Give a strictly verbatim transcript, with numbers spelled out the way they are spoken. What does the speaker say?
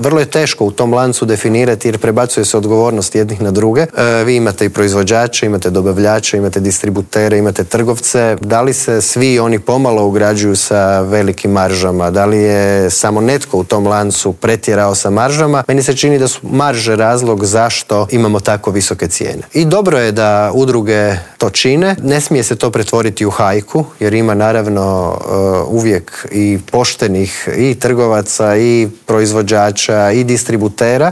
vrlo je teško u tom lancu definirati jer prebacuje se odgovornost jednih na druge. E, vi imate i proizvođače, imate dobavljače, imate distributere, imate trgovce. Da li se svi oni pomalo ugrađuju sa velikim maržama? Da li je samo netko u tom lancu pretjerao sa maržama? Meni se čini da su marže razlog zašto imamo tako visoke cijene. I dobro je da udruge to čine. Ne smije se to pretvoriti u hajku, jer ima naravno uh, uvijek i poštenih i trgovaca i proizvođača i distributera.